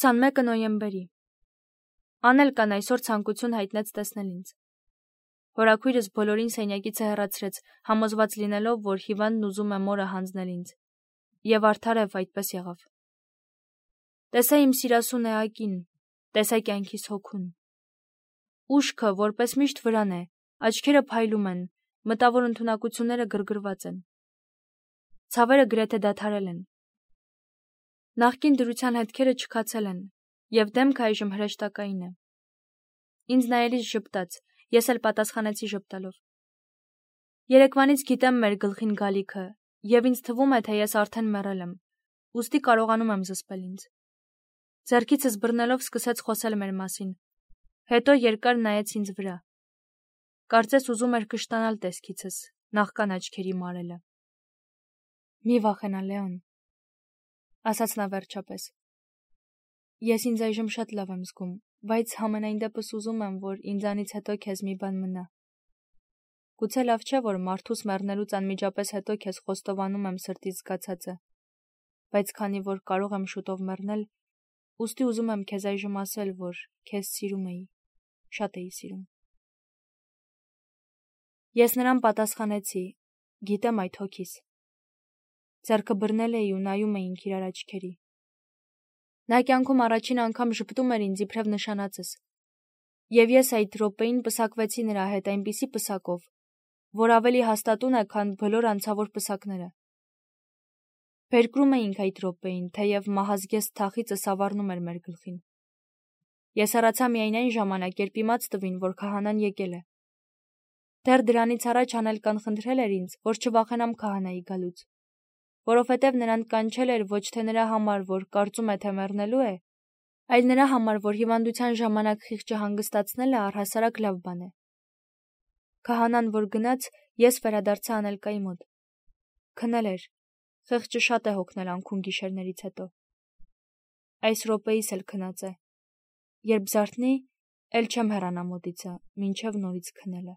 21 նոյեմբերի Անել կան այսօր ցանկություն հայտնեց տեսնել ինձ։ Հորաքույրս բոլորին սենյակիցը հեռացրեց, համոզված լինելով, որ հիվանդն ուզում է մորը հանձնել ինձ։ Եվ արդարև այդպես եղավ։ Տեսա իմ սիրասուն էակին, տեսա կյանքիս հոգուն։ Ուշքը, որպես միշտ վրան է, աչքերը փայլում են, մտավոր ընդունակությունները գրգռված են։ Ցավերը գրեթե դադարել են։ Նախկին դրության հետքերը չքացել են, եւ դեմքը այժմ հրեշտակային է։ Ինձ նայելիս ժպտաց, ես էլ պատասխանեցի ժպտալով։ Երեկվանից գիտեմ մեր գլխին գալիքը, եւ ինձ թվում է, թե ես արդեն մեռել եմ, ուստի կարողանում եմ զսպել ինձ։ Ձեռքիցս բռնելով սկսեց խոսել մեր մասին, հետո երկար նայեց ինձ վրա։ Կարծես ուզում էր կշտանալ տեսքիցս, նախքան աչքերի մարելը։ Մի վախենա, Լեոն, ասաց նա վերջապես։ Ես ինձ այժմ շատ լավ եմ զգում, բայց համենայն դեպս ուզում եմ, որ ինձանից հետո քեզ մի բան մնա։ Գուցե լավ չէ, որ մարդուս մեռնելուց անմիջապես հետո քեզ խոստովանում եմ սրտից զգացածը, բայց քանի որ կարող եմ շուտով մեռնել, ուստի ուզում եմ քեզ այժմ ասել, որ քեզ սիրում էի, շատ էի սիրում։ Ես նրան պատասխանեցի, գիտեմ այդ հոգիս։ Ձեռքը բռնել էի ու նայում էինք իրար աչքերի։ Նա կյանքում առաջին անգամ ժպտում էր ինձ իբրև նշանածս։ Եվ ես այդ րոպեին պսակվեցի նրա հետ այնպիսի պսակով, որ ավելի հաստատուն է, քան բոլոր անցավոր պսակները։ Փերկրում էինք այդ րոպեին, թեև մահազգեստ թախիծը սավառնում էր մեր գլխին։ Ես հեռացա միայն այն ժամանակ, երբ իմաց տվին, որ քահանան եկել է։ Դեռ դրանից առաջ Անելկան խնդրել էր ինձ, որ չվախենամ քահանայի գալուց, որովհետև նրան կանչել էր ոչ թե նրա համար, որ կարծում է, թե մեռնելու է, այլ նրա համար, որ հիվանդության ժամանակ խիղճը հանգստացնելը առհասարակ լավ բան է։ Քահանան, որ գնաց, ես վերադարձա Անելկայի մոտ։ Քնել էր, խիղճը շատ է հոգնել անքուն գիշերներից հետո։ Այս րոպեիս էլ քնած է։ Երբ զարթնի, էլ չեմ հեռանա մոտիցը, մինչև նորից քնելը։